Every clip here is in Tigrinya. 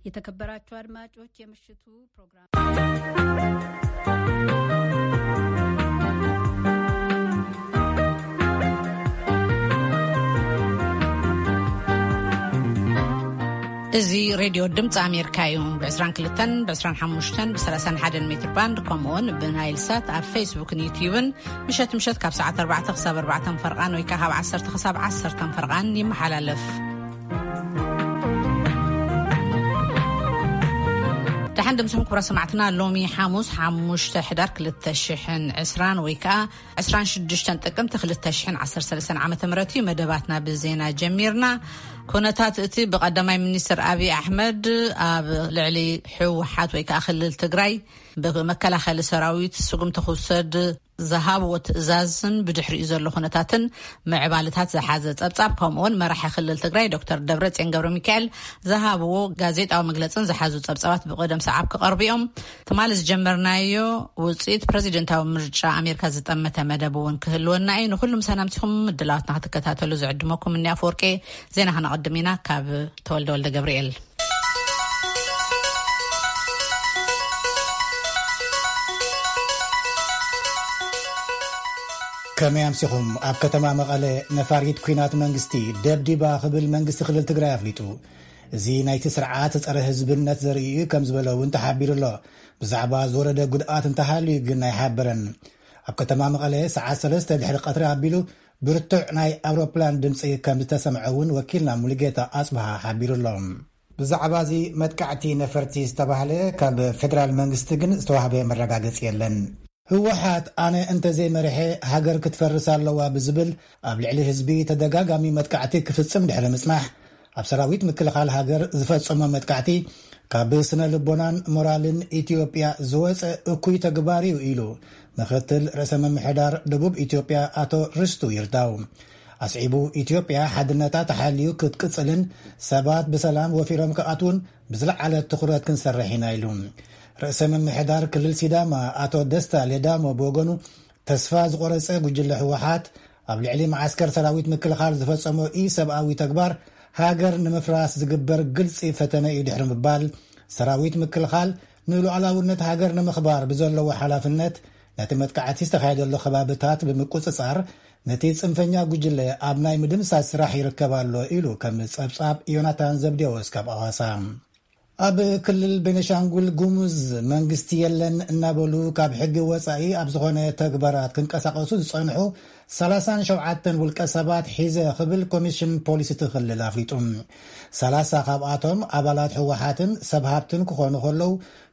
የተከበራችሁ አድማጮች፣ የምሽቱ ፕሮግራም እዚ ሬድዮ ድምፂ ኣሜሪካ እዩ። ብ22፣ ብ25፣ ብ31 ሜትር ባንድ፣ ከምኡውን ብናይል ሳት ኣብ ፌስቡክን ዩትዩብን ምሸት ምሸት ካብ ሰዓት ኣርባዕተ ክሳብ ኣርባዕተ ፈርቓን ወይ ከዓ ካብ ዓሰርተ ክሳብ ዓሰርተ ፈርቓን ይመሓላለፍ። ደሓን ድምፅኹም ክቡራት ሰማዕትና። ሎሚ ሓሙስ ሓሙሽተ ሕዳር ክልተ ሽሕን ዕስራን ወይ ከዓ ዕስራን ሽዱሽተን ጥቅምቲ ክልተ ሽሕን ዓሰርተ ሰለስተን ዓመተ ምህረት እዩ። መደባትና ብዜና ጀሚርና። ኩነታት እቲ ብቀዳማይ ሚኒስትር ኣብይ ኣሕመድ ኣብ ልዕሊ ህወሓት ወይ ከዓ ክልል ትግራይ ብመከላኸሊ ሰራዊት ስጉምቲ ክውሰድ ዝሃብዎ ትእዛዝን ብድሕሪኡ ዘሎ ኩነታትን ምዕባልታት ዝሓዘ ጸብጻብ፣ ከምኡውን መራሒ ክልል ትግራይ ዶክተር ደብረጽዮን ገብረ ሚካኤል ዝሃብዎ ጋዜጣዊ መግለጽን ዝሓዙ ጸብጻባት ብቕደም ሰዓብ ክቐርቡ እዮም። ትማሊ ዝጀመርናዮ ውጽኢት ፕረዚደንታዊ ምርጫ ኣሜሪካ ዝጠመተ መደብ እውን ክህልወና እዩ። ንኹሉም ሰናምቲኹም ምድላዋትና ክትከታተሉ ዝዕድመኩም እኒ ኣፈወርቂ። ዜና ከነቐድም ኢና ካብ ተወልደ ወልደ ገብርኤል። ከመይ ኣምሲኹም? ኣብ ከተማ መቐለ ነፋሪት ኲናት መንግስቲ ደብዲባ ክብል መንግስቲ ክልል ትግራይ ኣፍሊጡ። እዚ ናይቲ ስርዓት ጸረ ህዝብነት ዘርኢ እዩ ከም ዝበለ እውን ተሓቢሩ ኣሎ። ብዛዕባ ዝወረደ ጉድኣት እንተሃልዩ ግን ኣይሓበረን። ኣብ ከተማ መቐለ ሰዓት ሰለስተ ድሕሪ ቀትሪ ኣቢሉ ብርቱዕ ናይ ኣውሮፕላን ድምፂ ከም ዝተሰምዐ እውን ወኪልና ሙሉጌታ ኣጽብሃ ሓቢሩ ኣሎ። ብዛዕባ እዚ መጥቃዕቲ ነፈርቲ ዝተባህለ ካብ ፌደራል መንግስቲ ግን ዝተዋህበ መረጋገፂ የለን። ህወሓት ኣነ እንተዘይመሪሐ ሃገር ክትፈርስ ኣለዋ ብዝብል ኣብ ልዕሊ ህዝቢ ተደጋጋሚ መጥቃዕቲ ክፍጽም ድሕሪ ምጽናሕ፣ ኣብ ሰራዊት ምክልኻል ሃገር ዝፈጸሞ መጥቃዕቲ ካብ ስነ ልቦናን ሞራልን ኢትዮጵያ ዝወጸ እኩይ ተግባር እዩ ኢሉ ምክትል ርእሰ ምምሕዳር ደቡብ ኢትዮጵያ ኣቶ ርስቱ ይርዳው። ኣስዒቡ፣ ኢትዮጵያ ሓድነታ ተሓልዩ ክትቅጽልን ሰባት ብሰላም ወፊሮም ክኣትዉን ብዝለዓለ ትኹረት ክንሰርሕ ኢና ኢሉ። ርእሰ ምምሕዳር ክልል ሲዳማ ኣቶ ደስታ ሌዳሞ ብወገኑ፣ ተስፋ ዝቆረጸ ጉጅለ ህወሓት ኣብ ልዕሊ መዓስከር ሰራዊት ምክልኻል ዝፈጸሞ ኢሰብኣዊ ተግባር ሃገር ንምፍራስ ዝግበር ግልጺ ፈተነ እዩ ድሕሪ ምባል፣ ሰራዊት ምክልኻል ንሉዓላውነት ሃገር ንምኽባር ብዘለዎ ሓላፍነት ነቲ መጥቃዕቲ ዝተኻየደሉ ከባብታት ብምቁጽጻር ነቲ ጽንፈኛ ጉጅለ ኣብ ናይ ምድምሳስ ስራሕ ይርከብ ኣሎ ኢሉ ከም ጸብጻብ ዮናታን ዘብዴዎስ ካብ ኣዋሳ። ኣብ ክልል ቤኒሻንጉል ጉሙዝ መንግስቲ የለን እናበሉ ካብ ሕጊ ወጻኢ ኣብ ዝኾነ ተግባራት ክንቀሳቐሱ ዝጸንሑ ሰላሳን ሸውዓተን ውልቀ ሰባት ሒዘ ክብል ኮሚሽን ፖሊስ እቲ ክልል ኣፍሊጡ። ሰላሳ ካብኣቶም ኣባላት ህወሓትን ሰብ ሃብትን ክኾኑ ከለዉ፣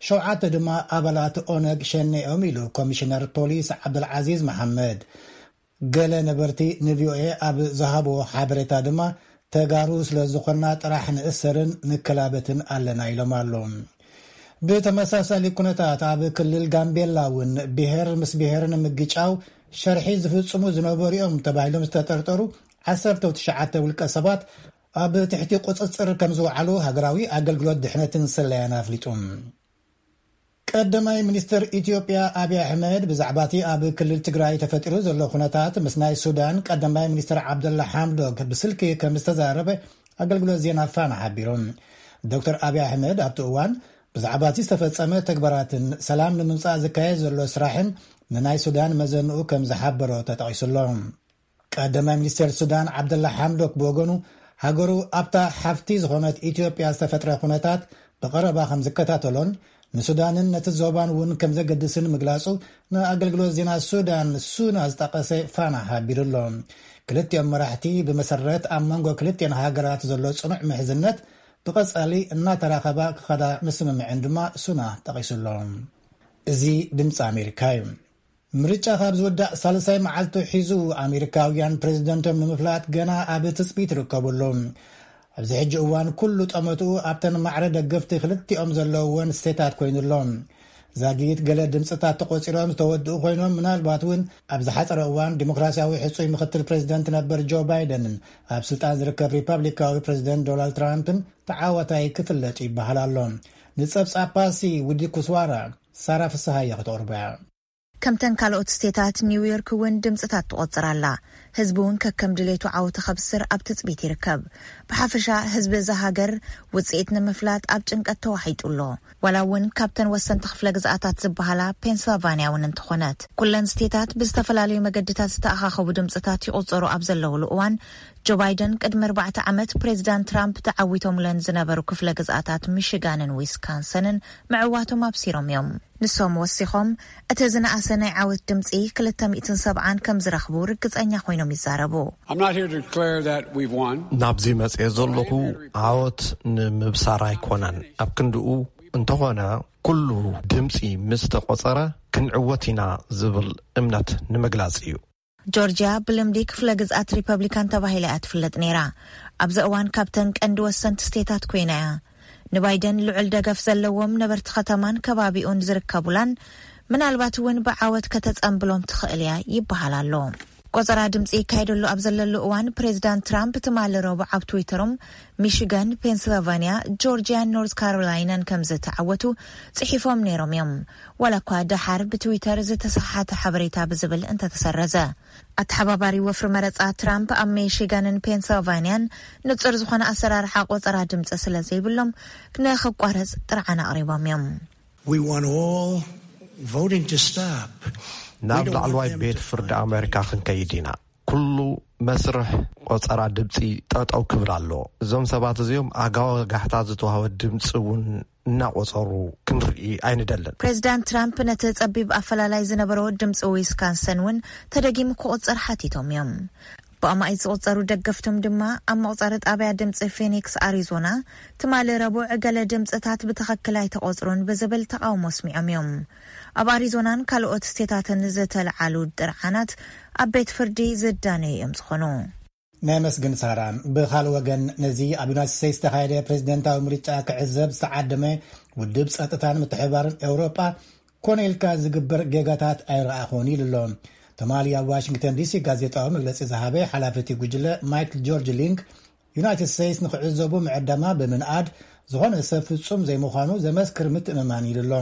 ሸውዓተ ድማ ኣባላት ኦነግ ሸኔ እዮም ኢሉ ኮሚሽነር ፖሊስ ዓብደልዓዚዝ መሓመድ። ገለ ነበርቲ ንቪኦኤ ኣብ ዝሃብዎ ሓበሬታ ድማ፣ ተጋሩ ስለ ዝኾንና ጥራሕ ንእሰርን ንከላበትን ኣለና ኢሎም ኣለዉ። ብተመሳሳሊ ኩነታት ኣብ ክልል ጋምቤላ እውን ብሄር ምስ ብሄር ንምግጫው ሸርሒ ዝፍጽሙ ዝነበሩ እዮም ተባሂሎም ዝተጠርጠሩ ዓሰርተ ትሽዓተ ውልቀ ሰባት ኣብ ትሕቲ ቁጽጽር ከም ዝወዓሉ ሃገራዊ ኣገልግሎት ድሕነትን ስለያን ኣፍሊጡ። ቀዳማይ ሚኒስትር ኢትዮጵያ ኣብይ ኣሕመድ ብዛዕባ እቲ ኣብ ክልል ትግራይ ተፈጢሩ ዘሎ ኩነታት ምስ ናይ ሱዳን ቀዳማይ ሚኒስትር ዓብደላ ሓምዶክ ብስልኪ ከም ዝተዛረበ ኣገልግሎት ዜና ፋና ሓቢሩ። ዶክተር ኣብይ ኣሕመድ ኣብቲ እዋን ብዛዕባ እቲ ዝተፈጸመ ተግባራትን ሰላም ንምምጻእ ዝካየድ ዘሎ ስራሕን ንናይ ሱዳን መዘንኡ ከም ዝሓበሮ ተጠቒሱሎ። ቀዳማይ ሚኒስትር ሱዳን ዓብደላ ሓምዶክ ብወገኑ፣ ሃገሩ ኣብታ ሓፍቲ ዝኾነት ኢትዮጵያ ዝተፈጥረ ኩነታት ብቐረባ ከም ዝከታተሎን ንሱዳንን ነቲ ዞባን እውን ከም ዘገድስን ምግላጹ ንኣገልግሎት ዜና ሱዳን ሱና ዝጠቐሰ ፋና ሓቢሩ ኣሎ። ክልቲኦም መራሕቲ ብመሰረት ኣብ መንጎ ክልቲኦን ሃገራት ዘሎ ጽኑዕ ምሕዝነት ብቐጻሊ እናተራኸባ ክኸዳ ምስምምዐን ድማ ሱና ጠቒሱ ኣሎ። እዚ ድምፂ ኣሜሪካ እዩ። ምርጫ ካብ ዝውዳእ ሳልሳይ መዓልቱ ሒዙ ኣሜሪካውያን ፕሬዝደንቶም ንምፍላጥ ገና ኣብ ትፅቢት ይርከቡ ኣለዉ። ኣብዚ ሕጂ እዋን ኩሉ ጠመትኡ ኣብተን ማዕረ ደገፍቲ ክልቲኦም ዘለውወን ስቴታት ኮይኑ ኣሎ። ዛጊት ገለ ድምፅታት ተቆፂሮም ዝተወድኡ ኮይኖም፣ ምናልባት እውን ኣብ ዝሓፀረ እዋን ዲሞክራሲያዊ ሕፁይ ምክትል ፕሬዝደንት ነበር ጆ ባይደንን ኣብ ስልጣን ዝርከብ ሪፐብሊካዊ ፕሬዝደንት ዶናልድ ትራምፕን ተዓዋታይ ክፍለጡ ይበሃል ኣሎ። ንፀብፃብ ፓሲ ውዲ ኩስዋራ ሳራ ፍስሃየ ክተቕርቦ እያ። ከምተን ካልኦት ስቴታት ኒውዮርክ እውን ድምፅታት ትቆፅር ኣላ። ህዝቢ እውን ከከም ድሌቱ ዓወት ከብስር ኣብ ትጽቢት ይርከብ። ብሓፈሻ ህዝቢ እዛ ሃገር ውጽኢት ንምፍላጥ ኣብ ጭንቀት ተዋሒጡ ኣሎ። ዋላ እውን ካብተን ወሰንቲ ክፍለ ግዝኣታት ዝበሃላ ፔንስልቫንያ እውን እንተኾነት፣ ኩለን ስቴታት ብዝተፈላለዩ መገድታት ዝተኣኻኸቡ ድምፅታት ይቑፀሩ ኣብ ዘለውሉ እዋን፣ ጆ ባይደን ቅድሚ ኣርባዕተ ዓመት ፕሬዚዳንት ትራምፕ ተዓዊቶምለን ዝነበሩ ክፍለ ግዝኣታት ሚሽጋንን ዊስካንሰንን ምዕዋቶም ኣብሲሮም እዮም። ንሶም ወሲኾም፣ እቲ ዝነኣሰ ናይ ዓወት ድምፂ ክልተ ሚእትን ሰብዓን ከም ዝረኽቡ ርግፀኛ ኮይኖም ይዛረቡ። I'm not here to declare that we've won. ናብዚ መፅኤ ዘለኹ ዓወት ንምብሳር ኣይኮነን። ኣብ ክንድኡ እንተኾነ፣ ኩሉ ድምፂ ምስ ተቖፀረ ክንዕወት ኢና ዝብል እምነት ንምግላፅ እዩ። ጆርጂያ ብልምዲ ክፍለ ግዝኣት ሪፐብሊካን ተባሂላ እያ ትፍለጥ ነይራ። ኣብዚ እዋን ካብተን ቀንዲ ወሰንቲ ስቴታት ኮይና እያ። ንባይደን ልዑል ደገፍ ዘለዎም ነበርቲ ከተማን ከባቢኡን ዝርከቡላን፣ ምናልባት እውን ብዓወት ከተጸንብሎም ትኽእል እያ ይበሃል ኣሎ። ቆጸራ ድምፂ ይካየደሉ ኣብ ዘለሉ እዋን፣ ፕሬዚዳንት ትራምፕ ትማሊ ረቡዕ ኣብ ትዊተሮም፣ ሚሽጋን፣ ፔንስልቫንያ፣ ጆርጂያን ኖርዝ ካሮላይናን ከም ዝተዓወቱ ጽሒፎም ነይሮም እዮም። ዋላ እኳ ደሓር ብትዊተር ዝተሰሓሓተ ሓበሬታ ብዝብል እንተተሰረዘ። ኣተሓባባሪ ወፍሪ መረጻ ትራምፕ ኣብ ሚሽጋንን ፔንስልቫንያን ንጹር ዝኾነ ኣሰራርሓ ቆጸራ ድምፂ ስለ ዘይብሎም፣ ንኽቋረጽ ጥርዓን ኣቕሪቦም እዮም። We want all voting to stop. We ናብ don't want ላዕለዋይ them ቤት to ፍርዲ find ኣሜሪካ ክንከይድ ኢና። ኩሉ መስርሕ ቆጸራ ድምፂ ጠጠው ክብል ኣሎ። እዞም ሰባት እዚኦም ኣጋወጋሕታ ዝተዋህበ ድምፂ እውን እናቆጸሩ ክንርኢ ኣይንደልን። ፕሬዚዳንት ትራምፕ ነቲ ጸቢብ ኣፈላላይ ዝነበሮ ድምፂ ዊስካንሰን እውን ተደጊሙ ክቑጸር ሓቲቶም እዮም። ብኣማኢት ዝቑጸሩ ደገፍቶም ድማ ኣብ መቑጸሪ ጣብያ ድምፂ ፊኒክስ ኣሪዞና ትማሊ ረቡዕ ገለ ድምፅታት ብትኽክል ኣይተቖጽሩን ብዝብል ተቓውሞ ኣስሚዖም እዮም። ኣብ ኣሪዞናን ካልኦት ስቴታትን ዝተልዓሉ ጥርዓናት ኣብ ቤት ፍርዲ ዝዳነዩ እዮም ዝኾኑ። ነመስግን ሳራ። ብኻልእ ወገን፣ ነዚ ኣብ ዩናይትድ ስቴትስ ዝተኻየደ ፕሬዚደንታዊ ምርጫ ክዕዘብ ዝተዓደመ ውድብ ጸጥታን ምትሕብባርን ኤውሮጳ ኮነ ኢልካ ዝግበር ጌጋታት ኣይረኣኹን ኢሉ ኣሎ። ትማሊ ኣብ ዋሽንግተን ዲሲ ጋዜጣዊ መግለጺ ዝሃበ ሓላፊ እቲ ጉጅለ ማይክል ጆርጅ ሊንክ፣ ዩናይትድ ስቴትስ ንኽዕዘቡ ምዕዳማ ብምንኣድ፣ ዝኾነ ሰብ ፍጹም ዘይምዃኑ ዘመስክር ምትእምማን ኢሉ ኣሎ።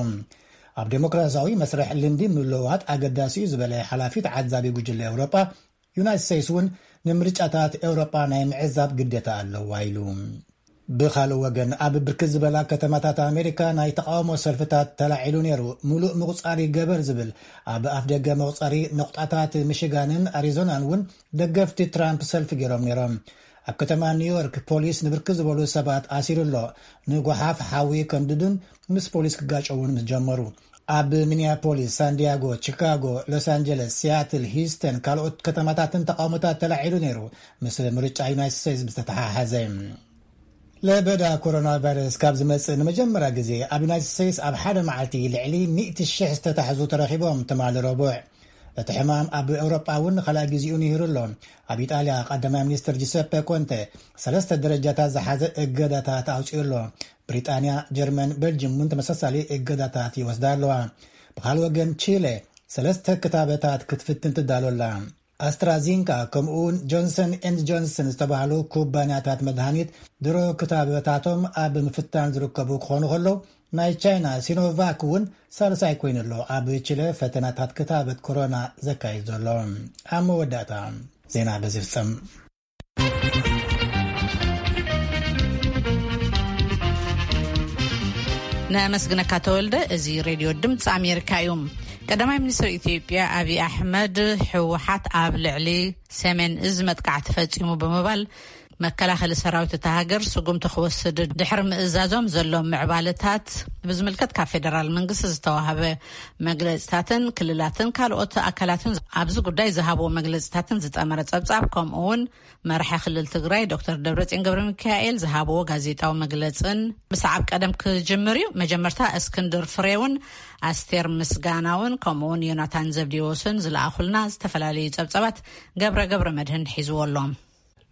ኣብ ዴሞክራሲያዊ መስርሕ ልምዲ ምልውዋጥ ኣገዳሲ እዩ ዝበለ ሓላፊ ተዓዛቢ ጉጅለ ኤውሮጳ፣ ዩናይትድ ስቴትስ እውን ንምርጫታት ኤውሮጳ ናይ ምዕዛብ ግዴታ ኣለዋ ኢሉ። ብኻልእ ወገን፣ ኣብ ብርክት ዝበላ ከተማታት ኣሜሪካ ናይ ተቃውሞ ሰልፍታት ተላዒሉ ነይሩ። ሙሉእ ምቁጻር ይገበር ዝብል ኣብ ኣፍ ደገ መቁጸሪ ነቁጣታት ሚሽጋንን ኣሪዞናን እውን ደገፍቲ ትራምፕ ሰልፊ ገይሮም ነይሮም። ኣብ ከተማ ኒውዮርክ ፖሊስ ንብርክት ዝበሉ ሰባት ኣሲሩ ኣሎ። ንጓሓፍ ሓዊ ከንድዱን ምስ ፖሊስ ክጋጨውን ምስ ጀመሩ። ኣብ ሚኒያፖሊስ፣ ሳንዲያጎ፣ ቺካጎ፣ ሎስ ኣንጀለስ፣ ሲያትል፣ ሂውስተን ካልኦት ከተማታትን ተቃውሞታት ተላዒሉ ነይሩ፣ ምስ ምርጫ ዩናይትድ ስቴትስ ዝተተሓሓዘ። ለበዳ ኮሮና ቫይረስ ካብ ዝመጽእ ንመጀመርያ ግዜ ኣብ ዩናይትድ ስቴትስ ኣብ ሓደ መዓልቲ ልዕሊ ሚእቲ ሽሕ ዝተታሕዙ ተረኺቦም ትማሊ ረቡዕ። እቲ ሕማም ኣብ ኤውሮጳ እውን ንኻልኣይ ግዜኡ ንሂሩ ኣሎ። ኣብ ኢጣልያ ቀዳማይ ሚኒስትር ጂሰፐ ኮንተ ሰለስተ ደረጃታት ዝሓዘ እገዳታት ኣውጺኡ ኣሎ። ብሪጣንያ፣ ጀርመን፣ ቤልጅም እውን ተመሳሳሊ እገዳታት ይወስዳ ኣለዋ። ብኻልእ ወገን፣ ቺለ ሰለስተ ክታበታት ክትፍትን ትዳሎ ኣላ። ኣስትራዚንካ ከምኡውን ጆንሰን ኤንድ ጆንሰን ዝተባህሉ ኩባንያታት መድሃኒት ድሮ ክታበታቶም ኣብ ምፍታን ዝርከቡ ክኾኑ ከለዉ፣ ናይ ቻይና ሲኖቫክ እውን ሳልሳይ ኮይኑ ኣሎ ኣብ ቺለ ፈተናታት ክታበት ኮሮና ዘካይድ ዘሎ። ኣብ መወዳእታ ዜና በዚ ፍጸም። ነመስግነካ ተወልደ። እዚ ሬድዮ ድምፂ ኣሜሪካ እዩ። ቀዳማይ ሚኒስትር ኢትዮጵያ ኣብይ ኣሕመድ፣ ህወሓት ኣብ ልዕሊ ሰሜን እዝ መጥቃዕቲ ፈፂሙ ብምባል፣ መከላኸሊ ሰራዊት እታ ሃገር ስጉምቲ ክወስድ ድሕሪ ምእዛዞም ዘሎ ምዕባለታት ብዝምልከት ካብ ፌደራል መንግስቲ ዝተዋህበ መግለፅታትን ክልላትን ካልኦት ኣካላትን ኣብዚ ጉዳይ ዝሃብዎ መግለፅታትን ዝጠመረ ፀብፃብ፣ ከምኡ እውን መራሒ ክልል ትግራይ ዶክተር ደብረፅዮን ገብረ ሚካኤል ዝሃብዎ ጋዜጣዊ መግለፅን ብሰዓብ ቀደም ክጅምር እዩ። መጀመርታ እስክንድር ፍሬውን ኣስቴር ምስጋናውን ከምኡ እውን ዮናታን ዘብዲዎስን ዝለኣኹልና ዝተፈላለዩ ፀብፃባት ገብረ ገብረ መድህን ሒዝዎ ኣሎ።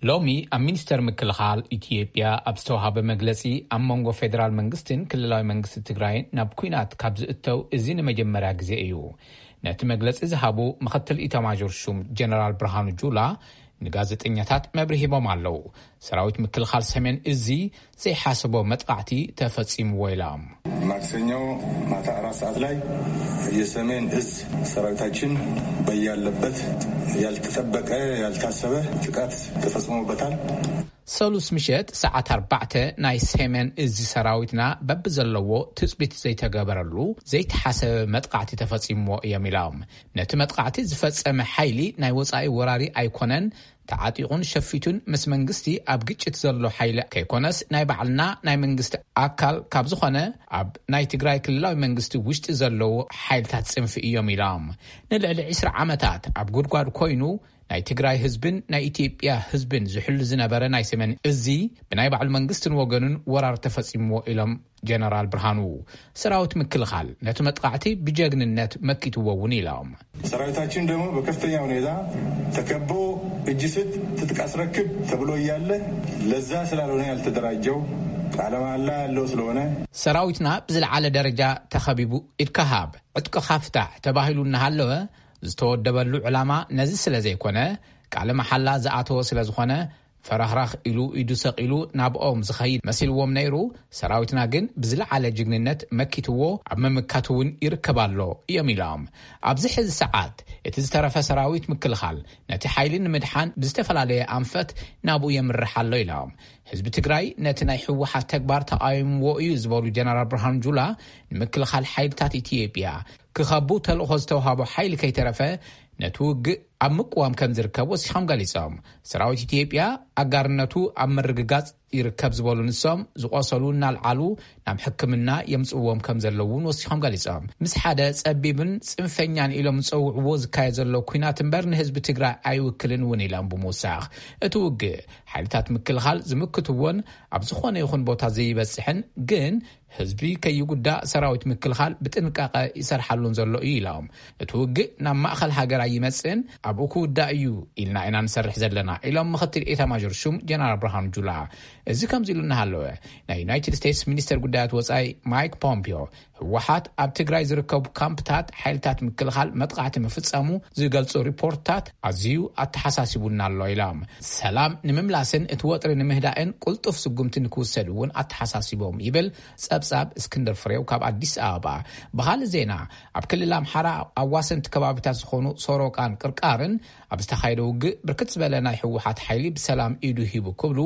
ሎሚ ኣብ ሚኒስተር ምክልኻል ኢትዮጵያ ኣብ ዝተዋሃበ መግለጺ፣ ኣብ መንጎ ፌደራል መንግስትን ክልላዊ መንግስቲ ትግራይን ናብ ኲናት ካብ ዝእተው እዚ ንመጀመርያ ግዜ እዩ። ነቲ መግለጺ ዝሃቡ ምኽትል ኢታማዦር ሹም ጀነራል ብርሃኑ ጁላ፣ ንጋዜጠኛታት መብርሂቦም ኣለዉ። ሰራዊት ምክልኻል ሰሜን እዚ ዘይሓሰቦ መጥቃዕቲ ተፈጺምዎ ኢሎም። ማክሰኞ ማታ አራት ሰዓት ላይ የሰሜን እዝ ሰራዊታችን በያለበት ያልተጠበቀ ያልታሰበ ጥቃት ተፈጽሞበታል። ሰሉስ ምሸት ሰዓት ኣርባዕተ ናይ ሰሜን እዚ ሰራዊትና በብዘለዎ ትጽቢት ዘይተገበረሉ ዘይተሓሰበ መጥቃዕቲ ተፈጺምዎ እዮም ኢሎም። ነቲ መጥቃዕቲ ዝፈጸመ ሓይሊ ናይ ወጻኢ ወራሪ ኣይኮነን፣ ተዓጢቑን ሸፊቱን ምስ መንግስቲ ኣብ ግጭት ዘሎ ሓይሊ ከይኮነስ ናይ ባዕልና ናይ መንግስቲ ኣካል ካብ ዝኾነ ኣብ ናይ ትግራይ ክልላዊ መንግስቲ ውሽጢ ዘለዉ ሓይልታት ጽንፊ እዮም ኢሎም። ንልዕሊ ዕስራ ዓመታት ኣብ ጉድጓድ ኮይኑ ናይ ትግራይ ህዝብን ናይ ኢትዮጵያ ህዝብን ዝሕሉ ዝነበረ ናይ ሰሜን እዚ ብናይ ባዕሉ መንግስትን ወገኑን ወራር ተፈጺምዎ ኢሎም ጀነራል ብርሃኑ። ሰራዊት ምክልኻል ነቲ መጥቃዕቲ ብጀግንነት መኪትዎ እውን ኢሎም። ሰራዊታችን ደግሞ በከፍተኛ ሁኔታ ተከቦ እጅ ስጥ ትጥቅ አስረክብ ተብሎ እያለ ለዛ ስላልሆነ ያልተደራጀው ቃለ መሃላ ያለው ስለሆነ ሰራዊትና ብዝለዓለ ደረጃ ተኸቢቡ ኢድካ ሃብ ዕጥቅኻ ፍታሕ ተባሂሉ እናሃለወ ዝተወደበሉ ዕላማ ነዚ ስለ ዘይኮነ ቃለ መሓላ ዝኣተወ ስለ ዝኾነ ፈራኽራኽ ኢሉ ኢዱ ሰቒሉ ናብኦም ዝኸይድ መሲልዎም ነይሩ። ሰራዊትና ግን ብዝለዓለ ጅግንነት መኪትዎ ኣብ ምምካት እውን ይርከብ ኣሎ እዮም ኢሎም። ኣብዚ ሕዚ ሰዓት እቲ ዝተረፈ ሰራዊት ምክልኻል ነቲ ሓይሊ ንምድሓን ብዝተፈላለየ ኣንፈት ናብኡ የምርሕ ኣሎ ኢሎም። ህዝቢ ትግራይ ነቲ ናይ ህወሓት ተግባር ተቃይምዎ እዩ ዝበሉ ጀነራል ብርሃኑ ጁላ ንምክልኻል ሓይልታት ኢትዮጵያ ክኸቡ ተልእኾ ዝተውሃቦ ሓይሊ ከይተረፈ ነቲ ውግእ ኣብ ምቅዋም ከም ዝርከብ ወሲኾም ገሊጾም። ሰራዊት ኢትዮጵያ ኣጋርነቱ ኣብ ምርግጋጽ ይርከብ ዝበሉ ንሶም ዝቆሰሉ እናልዓሉ ናብ ሕክምና የምጽእዎም ከም ዘለዉ እውን ወሲኾም ገሊጾም። ምስ ሓደ ጸቢብን ጽንፈኛን ኢሎም ዝጸውዕዎ ዝካየድ ዘሎ ኲናት እምበር ንህዝቢ ትግራይ ኣይውክልን እውን ኢሎም ብምውሳኽ እቲ ውግእ ሓይልታት ምክልኻል ዝምክትዎን ኣብ ዝኾነ ይኹን ቦታ ዘይበጽሕን ግን ህዝቢ ከይጉዳእ ሰራዊት ምክልኻል ብጥንቃቐ ይሰርሓሉን ዘሎ እዩ ኢሎም። እቲ ውግእ ናብ ማእኸል ሃገር ኣይመጽእን ኣብኡ ክውዳእ እዩ ኢልና ኢና ንሰርሕ ዘለና ኢሎም ምኽትል ኤታማዦር ሹም ጀነራል ብርሃኑ ጁላ። እዚ ከምዚ ኢሉ እናሃለወ ናይ ዩናይትድ ስቴትስ ሚኒስተር ጉዳያት ወጻኢ ማይክ ፖምፒዮ ህወሓት ኣብ ትግራይ ዝርከቡ ካምፕታት ሓይልታት ምክልኻል መጥቃዕቲ ምፍጻሙ ዝገልጹ ሪፖርትታት ኣዝዩ ኣተሓሳሲቡና ኣሎ ኢሎም። ሰላም ንምምላስን እቲ ወጥሪ ንምህዳእን ቁልጡፍ ስጉምቲ ንክውሰድ እውን ኣተሓሳሲቦም ይብል ጸብጻብ እስክንድር ፍሬው ካብ ኣዲስ ኣበባ። ብኻልእ ዜና ኣብ ክልል ኣምሓራ ኣዋሰንቲ ከባቢታት ዝኾኑ ሶሮቃን ቅርቃርን ኣብ ዝተኻየደ ውግእ ብርክት ዝበለ ናይ ህወሓት ሓይሊ ብሰላም ኢዱ ሂቡ ክብሉ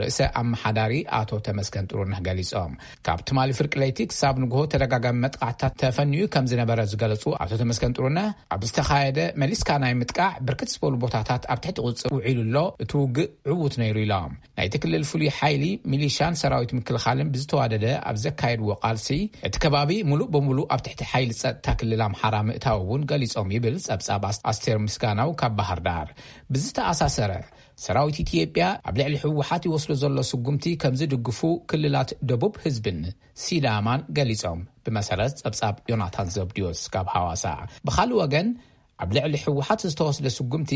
ርእሰ ኣመሓዳሪ ኣቶ ተመስገን ጥሩነህ ገሊጾም። ካብ ትማሊ ፍርቂ ለይቲ ክሳብ ንግሆ ተደጋጋሚ መጥቃዕትታት ተፈንዩ ከም ዝነበረ ዝገለጹ ኣቶ ተመስገን ጥሩነህ ኣብ ዝተኻየደ መሊስካ ናይ ምጥቃዕ ብርክት ዝበሉ ቦታታት ኣብ ትሕቲ ቁጽር ውዒሉ ኣሎ፣ እቲ ውግእ ዕዉት ነይሩ ኢሎም። ናይቲ ክልል ፍሉይ ሓይሊ ሚሊሻን ሰራዊት ምክልኻልን ብዝተዋደደ ኣብ ዘካየድዎ ቃልሲ እቲ ከባቢ ሙሉእ በሙሉእ ኣብ ትሕቲ ሓይሊ ጸጥታ ክልል ኣምሓራ ምእታው እውን ገሊጾም ይብል ጸብጻብ ኣስ- ኣስቴር ምስጋናው ካብ ባህር ዳር። ብዝተኣሳሰረ ሰራዊት ኢትዮጵያ ኣብ ልዕሊ ህወሓት ይወስዶ ዘሎ ስጉምቲ ከም ዝድግፉ ክልላት ደቡብ ህዝብን ሲዳማን ገሊጾም። ብመሰረት ጸብጻብ ዮናታን ዘብድዮስ ካብ ሃዋሳ። ብኻልእ ወገን ኣብ ልዕሊ ህወሓት ዝተወስደ ስጉምቲ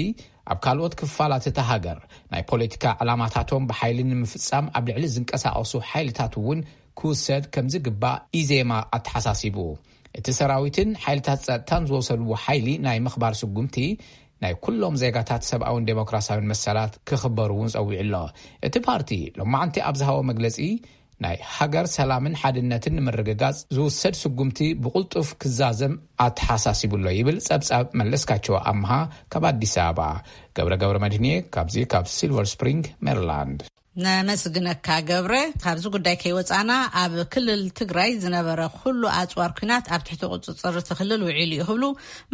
ኣብ ካልኦት ክፋላት እታ ሃገር ናይ ፖለቲካ ዕላማታቶም ብሓይሊ ንምፍጻም ኣብ ልዕሊ ዝንቀሳቐሱ ሓይልታት እውን ክውሰድ ከም ዝግባእ ኢዜማ ኣተሓሳሲቡ። እቲ ሰራዊትን ሓይልታት ጸጥታን ዝወሰድዎ ሓይሊ ናይ ምኽባር ስጉምቲ ናይ ኩሎም ዜጋታት ሰብኣውን ዴሞክራሲያውን መሰላት ክኽበሩ እውን ጸዊዑ ኣሎ። እቲ ፓርቲ ሎማዓንቲ ኣብ ዝሃቦ መግለጺ ናይ ሃገር ሰላምን ሓድነትን ንምርግጋጽ ዝውሰድ ስጉምቲ ብቕልጡፍ ክዛዘም ኣተሓሳሲቡ ኣሎ ይብል ጸብጻብ መለስካቸው ኣምሃ ካብ ኣዲስ ኣበባ። ገብረ ገብረ መድህንየ ካብዚ ካብ ሲልቨር ስፕሪንግ ሜሪላንድ። ነመስግነካ ገብረ። ካብዚ ጉዳይ ከይወፃና ኣብ ክልል ትግራይ ዝነበረ ኩሉ ኣፅዋር ኲናት ኣብ ትሕቲ ቁፅፅር እቲ ክልል ውዒሉ እዩ ክብሉ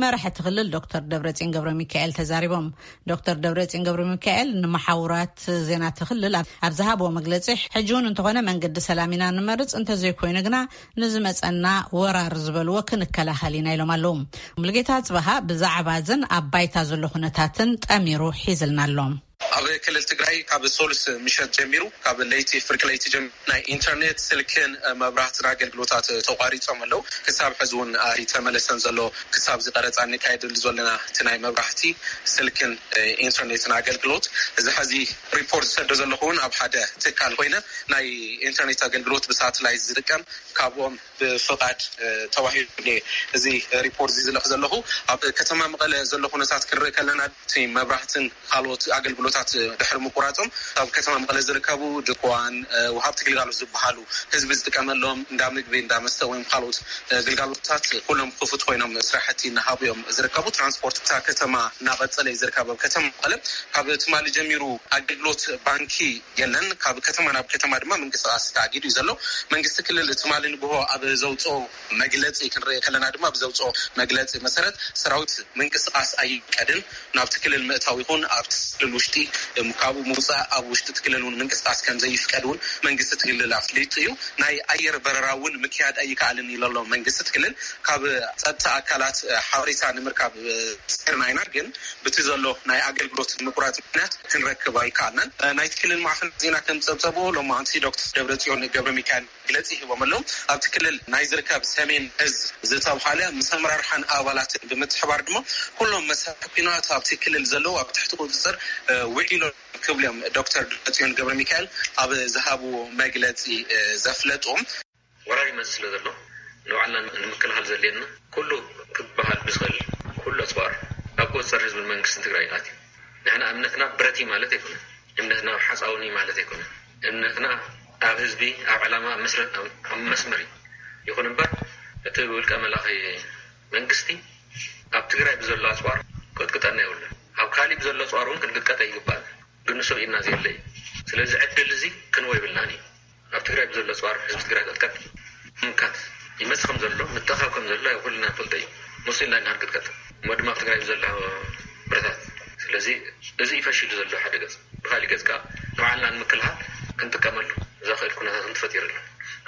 መራሒ እቲ ክልል ዶክተር ደብረፅዮን ገብረ ሚካኤል ተዛሪቦም። ዶክተር ደብረፅዮን ገብረ ሚካኤል ንመሓውራት ዜና እቲ ክልል ኣብ ዝሃብዎ መግለፂ ሕጂ እውን እንተኾነ መንገዲ ሰላም ኢና ንመርፅ፣ እንተዘይኮይኑ ግና ንዝመፀና ወራር ዝበልዎ ክንከላኸል ኢና ኢሎም ኣለዉ። ሙሉጌታ ጽበሃ ብዛዕባ እዝን ኣብ ባይታ ዘሎ ኩነታትን ጠሚሩ ሒዝልና ኣሎ። ኣብ ክልል ትግራይ ካብ ሶሉስ ምሸት ጀሚሩ፣ ካብ ለይቲ፣ ፍርቂ ለይቲ ጀሚሩ ናይ ኢንተርኔት፣ ስልክን መብራህትን ኣገልግሎታት ተቋሪጾም ኣለዉ። ክሳብ ሕዚ እውን ኣይተመለሰን ዘሎ። ክሳብ እዚ ቀረፃ እንካየደሉ ዘለና እቲ ናይ መብራህቲ፣ ስልክን ኢንተርኔትን ኣገልግሎት፣ እዚ ሕዚ ሪፖርት ዝሰዶ ዘለኹ እውን ኣብ ሓደ ትካል ኮይነ ናይ ኢንተርኔት ኣገልግሎት ብሳትላይት ዝጥቀም ካብኦም ብፍቓድ ተዋሂቡ። እዚ ሪፖርት እዚ ዝልእኽ ዘለኹ ኣብ ከተማ መቐለ ዘሎ ኩነታት ክንርኢ ከለና፣ እቲ መብራህትን ካልኦት ኣገልግሎታት ድሕሪ ምቁራጾም፣ ኣብ ከተማ መቐለ ዝርከቡ ድኳን፣ ወሃብቲ ግልጋሎት ዝበሃሉ፣ ህዝቢ ዝጥቀመሎም እንዳ ምግቢ፣ እንዳ መስተ ወይም ካልኦት ግልጋሎታት ኩሎም ክፉት ኮይኖም ስራሕቲ እናሃቡ እዮም ዝርከቡ። ትራንስፖርት እታ ከተማ እናቐጸለ እዩ ዝርከብ። ኣብ ከተማ መቐለ ካብ ትማሊ ጀሚሩ ኣገልግሎት ባንኪ የለን። ካብ ከተማ ናብ ከተማ ድማ ምንቅስቃስ ተኣጊዱ እዩ ዘሎ። መንግስቲ ክልል ትማሊ ንግሆ ኣብ ዘውፅኦ መግለፂ ክንርኢ ከለና ድማ፣ ኣብ ዘውፅኦ መግለፂ መሰረት፣ ሰራዊት ምንቅስቃስ ኣይቀድን፣ ናብቲ ክልል ምእታው ይኹን ኣብቲ ክልል ውሽጢ፣ እም፣ ካብኡ ምውፃእ፣ ኣብ ውሽጢ እቲ ክልል እውን ምንቅስቃስ ከም ዘይፍቀድ እውን መንግስቲ እቲ ክልል ኣፍሊጡ እዩ። ናይ ኣየር በረራ እውን ምክያድ ኣይከኣልን ኢሉ ኣሎ መንግስቲ እቲ ክልል። ካብ ፀጥታ ኣካላት ሓበሬታ ንምርካብ ፅርና ኢና፣ ግን ብቲ ዘሎ ናይ ኣገልግሎት ምቁራፅ ምክንያት ክንረክብ ኣይከኣልናን። ናይቲ ክልል ማዕኸን ዜና ከም ዝፀብፀብዎ፣ ሎማዕንቲ ዶክተር ደብረፅዮን ገብረ ሚካኤል መግለፂ ሂቦም ኣለዉ። ኣብቲ ክልል ናይ ዝርከብ ሰሜን እዝ ዝተብሃለ ምስ ኣመራርሓን ኣባላትን ብምትሕባር ድማ፣ ኩሎም መሳርሒ ኲናት ኣብቲ ክልል ዘለዉ ኣብ ትሕቲ ቁፅፅር ውዒሎም ክብሉ እዮም ዶክተር ደብረፅዮን ገብረ ሚካኤል ኣብ ዝሃብዎ መግለፂ ዘፍለጡ። ወራር ይመፅእ ስለ ዘሎ፣ ንባዕልና ንምክልኻል ዘድልየና ኩሉ ክበሃል ብዝኽእል ኩሉ ኣፅዋር ኣብ ቁፅፅር ህዝብን መንግስትን ትግራይ ኣትዩ። ንሕና እምነትና ብረት እዩ ማለት ኣይኮነን። እምነትና ኣብ ሓፃውን እዩ ማለት ኣይኮነን። እምነትና ኣብ ህዝቢ፣ ኣብ ዕላማ፣ ኣብ መስረ-፣ ኣብ፣ ኣብ መስመር እዩ። ይኹን እምበር፣ እቲ ውልቀ መላኺ መንግስቲ ኣብ ትግራይ ብዘሎ ኣፅዋር ክቕጥቀጠና የብሉን። ኣብ ካሊእ ብዘሎ ኣፅዋር እውን ክንቅጥቀጥ ኣይግባእን። ግን ንሱ ርኢና ዘየለ እዩ። ስለዚ ዕድል እዚ ክንወ ይብልናን እዩ። ኣብ ትግራይ ብዘሎ ኣፅዋር ህዝቢ ትግራይ ክቕጥቀጥ፣ ምምካት ይመፅእ ከም ዘሎ፣ ምትእኻብ ከም ዘሎ ኣብ ኩልና ንፈልጦ እዩ። ንሱ ኢልና ኢና ክንቅጥቀጥ። እሞ ድማ ኣብ ትግራይ ብዘሎ ብረታት። ስለዚ እዚ እዩ ፈሺሉ ዘሎ ሓደ ገፅ። ብካሊእ ገፅ ከዓ ንባዕልና ንምክልኻል ክንጥቀመሉ ዘኽእል ኩነታት እውን ተፈጢሩ ኣሎ።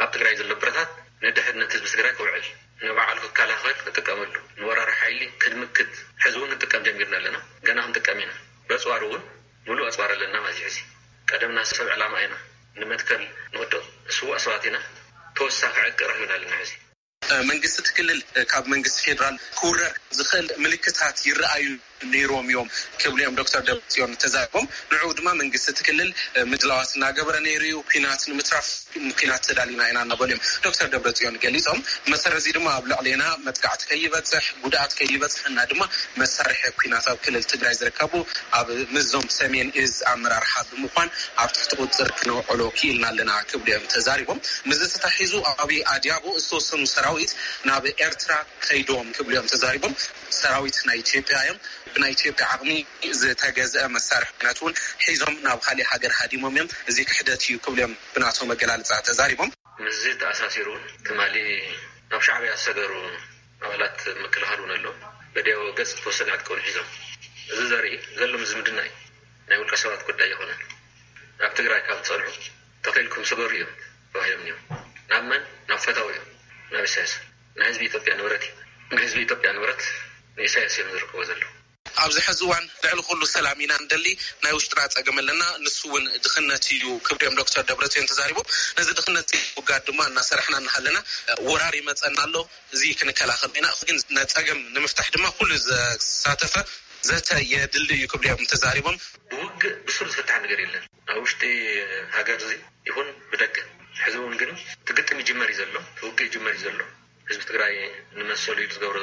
ኣብ ትግራይ ዘሎ ብረታት ንድሕነት ህዝቢ ትግራይ ክውዕል፣ ንባዕሉ ክከላኸል ክጥቀመሉ፣ ንወራሪ ሓይሊ ክድምክት፣ ሕዚ እውን ክንጥቀም ጀሚርና ኣለና። ገና ክንጥቀም ኢና። በፅዋር እውን ምሉእ ኣፅዋር ኣለና ማለት እዩ። ሕዚ ቀደምና ሰብ ዕላማ ኢና፣ ንመትከል ንወድቕ ስዋእ ሰባት ኢና። ተወሳኺ ዕጥቂ ረኺብና ኣለና። ሕዚ መንግስቲ እቲ ክልል ካብ መንግስቲ ፌዴራል ክውረር ዝኽእል ምልክታት ይረኣዩ ነይሮም እዮም ክብሉ እዮም ዶክተር ደብረፅዮን ተዛሪቦም። ንዕኡ ድማ መንግስቲ እቲ ክልል ምድላዋት እናገበረ ነይሩ እዩ። ኲናት ንምትራፍ ንኲናት ተዳሊና ኢና እናበሉ እዮም ዶክተር ደብረፅዮን ገሊፆም። መሰረት እዚ ድማ ኣብ ልዕሌና መጥቃዕቲ ከይበፅሕ፣ ጉድኣት ከይበፅሐና ድማ መሳርሒ ኲናት ኣብ ክልል ትግራይ ዝርከቡ ኣብ ምስዞም ሰሜን እዝ ኣመራርሓ ብምኳን ኣብ ትሕቲ ቁፅፅር ክነውዕሎ ክኢልና ኣለና ክብሉ እዮም ተዛሪቦም። ምስዚ ተታሒዙ ኣብ ኣድያቦ ዝተወሰኑ ሰራዊት ናብ ኤርትራ ከይዶም ክብሉ እዮም ተዛሪቦም። ሰራዊት ናይ ኢትዮጵያ እዮም። ብናይ ኢትዮጵያ ዓቕሚ ዝተገዝአ መሳርሒ ኲናት እውን ሒዞም ናብ ካሊእ ሃገር ሃዲሞም እዮም። እዚ ክሕደት እዩ ክብሉ እዮም ብናቶም ኣገላልፃ ተዛሪቦም። ምስዚ ተኣሳሲሩ እውን ትማሊ ናብ ሻዕብያ ዝሰገሩ ኣባላት ምክልኻል እውን ኣሎ። በዲያዊ ገፅ ዝተወሰነ ዕጥቂ እውን ሒዞም። እዚ ዘርኢ ዘሎ ዝምድና እዩ። ናይ ውልቀ ሰባት ጉዳይ ይኾነ። ኣብ ትግራይ ካብ ዝፀንሑ ተኺልኩም ስገሩ እዮም ተባሂሎም እዮም። ናብ መን? ናብ ፈታዊ እዮም። ናብ ኢሳያስ። ናይ ህዝቢ ኢትዮጵያ ንብረት እዩ። ናይ ህዝቢ ኢትዮጵያ ንብረት ንኢሳያስ እዮም ዝርከቦ ዘለዉ። ኣብዚ ሕዚ እዋን ልዕሊ ኩሉ ሰላም ኢና ንደሊ። ናይ ውሽጥና ፀገም ኣለና፣ ንሱ እውን ድኽነት እዩ ክብሉ እዮም ዶክተር ደብረፅዮን ተዛሪቦም። ነዚ ድኽነት ውጋድ ድማ እናሰራሕና እናሃለና ወራር ይመፀና ኣሎ። እዚ ክንከላኸል ኢና፣ ግን ነፀገም ንምፍታሕ ድማ ኩሉ ዘሳተፈ ዘተ የድሊ እዩ ክብሉ እዮም ተዛሪቦም። ብውግእ ብሱር ዝፍታሕ ነገር የለን። ኣብ ውሽጢ ሃገር እዚ ይኹን ብደገ። ሕዚ እውን ግን እቲ ግጥም ይጅመር እዩ ዘሎ፣ እቲ ውግእ ይጅመር እዩ ዘሎ። ህዝቢ ትግራይ ንመሰሉ ኢሉ ዝገብሮ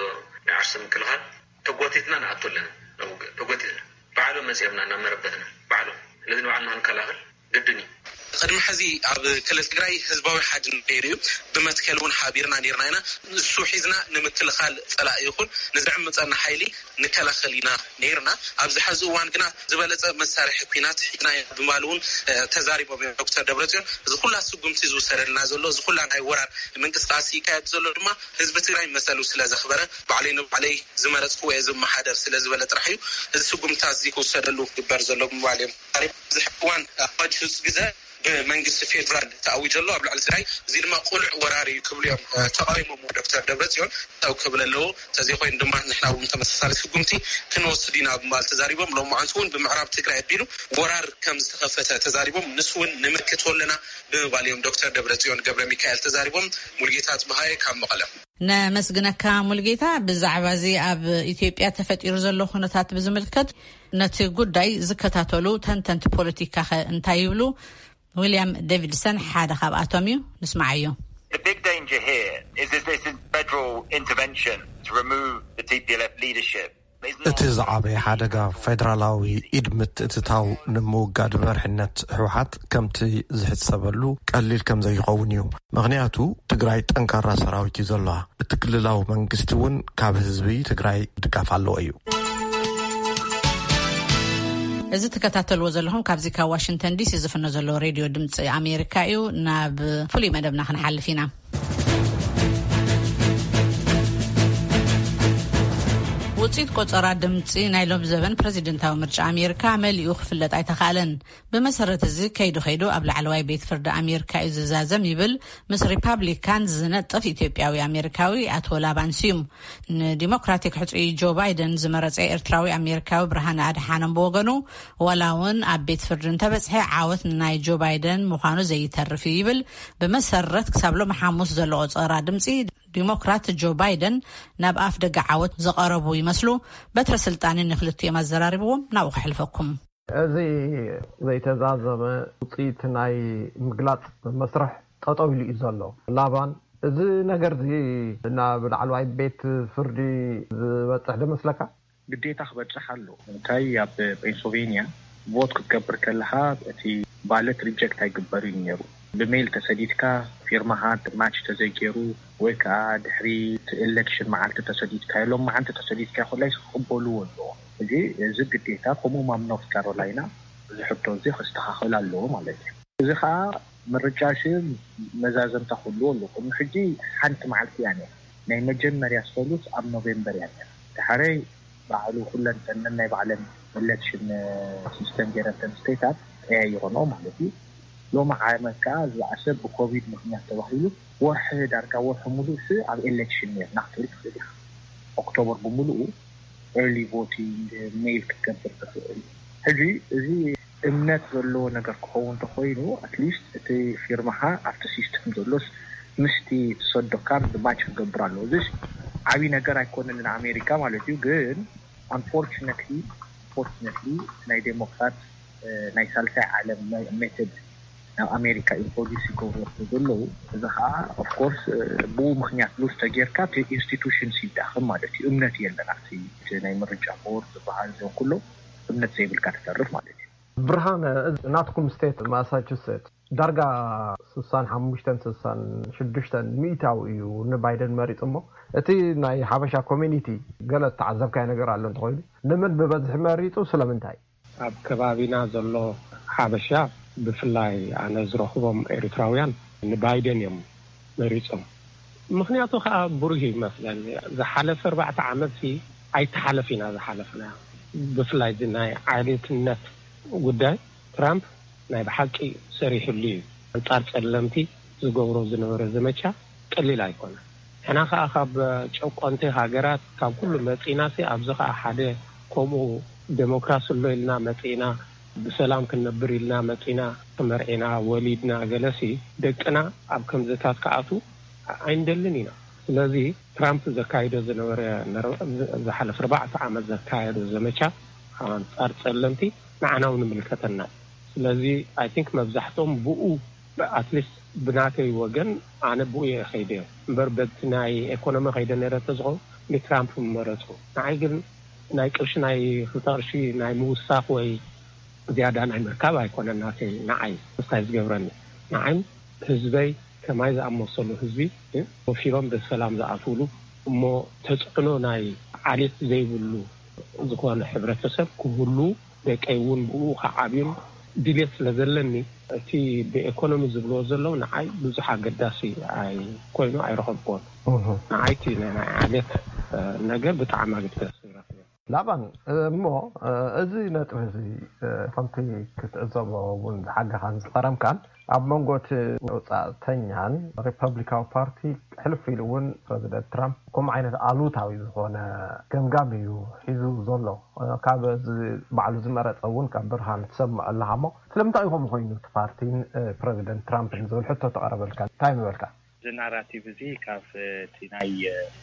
ናይ ዓርሰ ምክልኻል ተጎቲትና ንኣቱ ኣለና። ናብ ውግእ ተጎቲትና። ባዕሎም መፂኦምና እናመረበትና። ባዕሎም። ስለዚ ንባዕልና ክንከላኸል ግድን እዩ። ቅድሚ ሕዚ ኣብ ክልል ትግራይ ህዝባዊ ሓድነት ነይሩ እዩ። ብመትከል እውን ሓቢርና ነይርና ኢና። ንሱ ሒዝና ንምክልኻል ፀላኢ ይኹን ንዝዕምፀና ሓይሊ ንከላኸል ኢና ነይርና። ኣብዚ ሕዚ እዋን ግና ዝበለፀ መሳርሒ ኲናት ሒዝና ኢና ብምባል እውን፣ እ፣ ተዛሪቦም እዮም ዶክተር ደብረፅዮን። እዚ ኩላ ስጉምቲ ዝውሰደልና ዘሎ፣ እዚ ኩላ ናይ ወራር ምንቅስቃስ ይካየድ ዘሎ ድማ ህዝቢ ትግራይ መሰሉ ስለ ዘኽበረ፣ ባዕለይ ንባዕለይ ዝመረፅኩዎ እየ ዝመሓደር ስለ ዝበለ ጥራሕ እዩ እዚ ስጉምትታት እዚ ክውሰደሉ ክግበር ዘሎ ብምባል እዮም ተዛሪቦም። ኣብዚ ሕዚ እዋን ኣብ ሕዚ ግዘ ብመንግስቲ ፌዴራል ተኣዊጀ ኣሎ ኣብ ልዕሊ ትግራይ። እዚ ድማ ቅሉዕ ወራር እዩ ክብሉ እዮም ተቃዊሞም ዶክተር ደብረፅዮን። ተው ክብል ኣለዎ። ተዘይኮይኑ ድማ ንሕና እውን ተመሳሳሊ ስጉምቲ ክንወስድ ኢና ብምባል ተዛሪቦም። ሎማዓንቲ እውን ብምዕራብ ትግራይ ኣቢሉ ወራር ከም ዝተኸፈተ ተዛሪቦም። ንሱ እውን ንምክቶ ኣለና ብምባል እዮም ዶክተር ደብረፅዮን ገብረ ሚካኤል ተዛሪቦም። ሙልጌታ ጽብሃየ ካብ መቐለ። ነመስግነካ ሙልጌታ። ብዛዕባ እዚ ኣብ ኢትዮጵያ ተፈጢሩ ዘሎ ኩነታት ብዝምልከት ነቲ ጉዳይ ዝከታተሉ ተንተንቲ ፖለቲካ ከ እንታይ ይብሉ? ዊልያም ዴቪድሰን ሓደ ካብኣቶም እዩ። ንስማዓዮ። The big danger here is if this is federal intervention to remove the T P L F leadership. It's not. እቲ ዝዓበየ ሓደጋ ፌደራላዊ ኢድ ምትእትታው ንምውጋድ መርሕነት ህወሓት ከምቲ ዝሕሰበሉ ቀሊል ከም ዘይኸውን እዩ። ምኽንያቱ ትግራይ ጠንካራ ሰራዊት እዩ ዘለዋ። እቲ ክልላዊ መንግስቲ እውን ካብ ህዝቢ ትግራይ ድጋፍ ኣለዎ እዩ። እዚ ትከታተልዎ ዘለኹም ካብዚ ካብ ዋሽንግተን ዲሲ ዝፍኖ ዘሎ ሬድዮ ድምፂ ኣሜሪካ እዩ። ናብ ፍሉይ መደብና ክንሓልፍ ኢና። ውፅኢት ቆፀራ ድምፂ ናይ ሎም ዘበን ፕሬዚደንታዊ ምርጫ ኣሜሪካ መሊኡ ክፍለጥ ኣይተኻእለን። ብመሰረት እዚ ከይዱ ከይዱ ኣብ ላዕለዋይ ቤት ፍርዲ ኣሜሪካ እዩ ዝዛዘም ይብል ምስ ሪፓብሊካን ዝነጥፍ ኢትዮጵያዊ ኣሜሪካዊ ኣቶ ላባን ስዩም። ንዲሞክራቲክ ሕፁይ ጆ ባይደን ዝመረፀ ኤርትራዊ ኣሜሪካዊ ብርሃነ ኣድሓኖም ብወገኑ፣ ዋላ እውን ኣብ ቤት ፍርዲ እንተበፅሐ ዓወት ናይ ጆ ባይደን ምዃኑ ዘይተርፍ እዩ ይብል። ብመሰረት ክሳብ ሎሚ ሓሙስ ዘሎ ቆፀራ ድምፂ ዲሞክራት ጆ ባይደን ናብ ኣፍ ደገ ዓወት ዝቐረቡ ይመስሉ። በትረ ስልጣን ንክልቲኦም ኣዘራርብዎም ናብኡ ከሕልፈኩም። እዚ ዘይተዛዘመ ውፅኢት ናይ ምግላፅ መስርሕ ጠጠው ኢሉ እዩ ዘሎ። ላባን፣ እዚ ነገር እዚ ናብ ላዕለዋይ ቤት ፍርዲ ዝበፅሕ ዶ መስለካ? ግዴታ ክበፅሕ ኣሎ። እንታይ ኣብ ፔንስልቬንያ ቮት ክትገብር ከለካ እቲ ባለት ሪጀክት ኣይግበር እዩ ነይሩ። ብሜይል ተሰዲድካ ፊርማካ ማች ተዘይገይሩ ወይ ከዓ ድሕሪ እቲ ኤሌክሽን መዓልቲ ተሰዲድካ የሎም መዓልቲ ተሰዲድካ ኮላይ ክቅበልዎ ኣለዎ። እዚ እዚ ግዴታ ከምኡ ኣብ ኖርት ካሮላይና እዚ ሕቶ እዚ ክስተካከል ኣለዎ ማለት እዩ። እዚ ከዓ ምርጫ ሽ መዛዘምታ ክህልዎ ኣለዎ። ቅድሚ ሕጂ ሓንቲ መዓልቲ እያ ነይራ። ናይ መጀመርያ ዝፈሉት ኣብ ኖቬምበር እያ ነይራ። ድሓረይ ባዕሉ ኩለን ተነን ናይ ባዕለን ኤሌክሽን ሲስተም ገይረተን ስቴታት ቀያይሮንኦ ማለት እዩ። ሎሚ ዓመት ከዓ ዝበኣሰ ብኮቪድ ምክንያት ተባሂሉ ወርሒ ዳርጋ ወርሒ ሙሉእ ስ ኣብ ኤሌክሽን ነርና ክትብል ትኽእል ኢኻ። ኦክቶበር ብምሉኡ ኤርሊ ቮቲንግ ሜይል ክትገብር ትኽእል። ሕጂ እዚ እምነት ዘለዎ ነገር ክኸውን እንተኮይኑ ኣትሊስት እቲ ፊርማኻ ኣብቲ ሲስተም ዘሎስ ምስቲ ትሰዶ ካርድ ማች ክገብር ኣለዎ። እዚስ ዓብዪ ነገር ኣይኮነን ንኣሜሪካ ማለት እዩ። ግን ኣንፎርችነትሊ ኣንፎርችነትሊ ናይ ዴሞክራት ናይ ሳልሳይ ዓለም ሜቶድ ናብ ኣሜሪካ ኢንትሮዲስ ይገብሩ ዘለዉ። እዚ ከዓ ኦፍኮርስ ብኡ ምክንያት ሉዝ ተጌርካ ኢንስቲቱሽንስ ይዳኸም ማለት እዩ። እምነት የለን ኣብቲ ናይ ምርጫ ቦርድ ዝበሃል እዚኦም ኩሎ እምነት ዘይብልካ ትተርፍ ማለት እዩ። ብርሃነ፣ ናትኩም ስቴት ማሳቹሴት ዳርጋ ስሳን ሓሙሽተን ስሳን ሽዱሽተን ሚእታዊ እዩ ንባይደን መሪፁ እሞ፣ እቲ ናይ ሓበሻ ኮሚኒቲ ገለ ተዓዘብካዮ ነገር ኣሎ እንተኮይኑ፣ ንመን ብበዝሒ መሪፁ? ስለምንታይ? ኣብ ከባቢና ዘሎ ሓበሻ ብፍላይ ኣነ ዝረኽቦም ኤርትራውያን ንባይደን እዮም መሪፆም። ምክንያቱ ከዓ ብሩህ ይመስለኒ። ዝሓለፈ ኣርባዕተ ዓመት ሲ ኣይተሓለፍ ኢና ዝሓለፍና። ብፍላይ እዚ ናይ ዓሌትነት ጉዳይ ትራምፕ ናይ ብሓቂ ሰሪሕሉ እዩ። ኣንጻር ጸለምቲ ዝገብሮ ዝነበረ ዘመቻ ቀሊል ኣይኮነ። ሕና ከኣ ካብ ጨቆንቲ ሃገራት ካብ ኩሉ መጺና ሲ ኣብዚ ከኣ ሓደ ከምኡ ዴሞክራሲ ኣሎ ኢልና መጺና ብሰላም ክንነብር ኢልና መጺና ተመርዒና ወሊድና ገለሲ ደቅና ኣብ ከምዝታት ከኣቱ ኣይንደልን ኢና። ስለዚ ትራምፕ ዘካይዶ ዝነበረ ዝሓለፈ ኣርባዕተ ዓመት ዘካየዶ ዘመቻ ኣንጻር ጸለምቲ ንዓና እውን ይምልከተና። ስለዚ ኣይ ቲንክ መብዛሕትኦም ብኡ ኣትሊስት ብናተይ ወገን ኣነ ብኡ እየ ከይደ እምበር በቲ ናይ ኤኮኖሚ ከይደ ነረ ተዝኸውን ንትራምፕ ምመረጹ። ንዓይ ግን ናይ ቅርሺ ናይ ክልተ ቅርሺ ናይ ምውሳኽ ወይ ዝያዳ ናይ ምርካብ ኣይኮነን ናተይ ንዓይ ምስታይ ዝገብረኒ። ንዓይ ህዝበይ ከማይ ዝኣመሰሉ ህዝቢ ወፊሮም ብሰላም ዝኣትውሉ እሞ ተፅዕኖ ናይ ዓሌት ዘይብሉ ዝኾነ ሕብረተሰብ ክህሉ ደቀይ እውን ብኡ ክዓብዩን ድሌት ስለ ዘለኒ እቲ ብኤኮኖሚ ዝብልዎ ዘለዉ ንዓይ ብዙሕ ኣገዳሲ ኣይ ኮይኑ ኣይረኸብክዎን። ንዓይ እቲ ናይ ዓሌት ነገር ብጣዕሚ ኣገዳሲ ረኽበ። ላባን፣ እሞ፣ እዚ ነጥቢ እዚ፣ ከምቲ ክትዕዘቦ እውን ዝሓገኻን ዝቐረምካን፣ ኣብ መንጎ እቲ ወጻእተኛን ሪፐብሊካዊ ፓርቲ ሕልፍ ኢሉ እውን ፕረዚደንት ትራምፕ ከምኡ ዓይነት ኣሉታዊ ዝኾነ ገምጋም እዩ ሒዙ ዘሎ። ካብ እዚ ባዕሉ ዝመረጸ እውን ካብ ብርሃን ትሰምዕ ኣለኻ። እሞ ስለምንታይ እዩ ከምኡ ኮይኑ እቲ ፓርቲን ፕረዚደንት ትራምፕን ዝብል ሕቶ ተቐረበልካ፣ እንታይ ምበልካ? እዚ ናራቲቭ እዚ ካብ እቲ ናይ